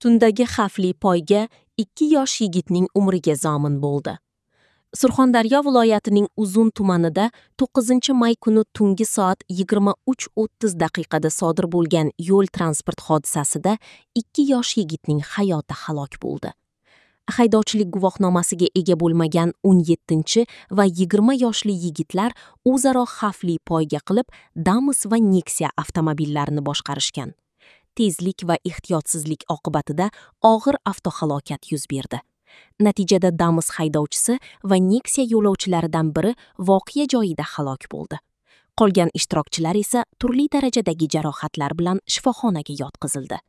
Tundagi xavfli poyga ikki yosh yigitning umriga zomin bo'ldi. Surxondaryo viloyatining Uzun tumanida 9-may kuni tungi soat 23:30 daqiqada sodir bo'lgan yo'l transport hodisasida ikki yosh yigitning hayoti halok bo'ldi. Haydovchilik guvohnomasiga ega bo'lmagan 17 va 20 yoshli yigitlar o'zaro xavfli poyga qilib, Damas va Nexia avtomobillarini boshqarishgan. Tezlik va ehtiyotsizlik oqibatida og'ir avtohalokat yuz berdi. Natijada Damas haydovchisi va Nexia yo'lovchilaridan biri voqea joyida halok bo'ldi. Qolgan ishtirokchilar esa turli darajadagi jarohatlar bilan shifoxonaga yotqizildi.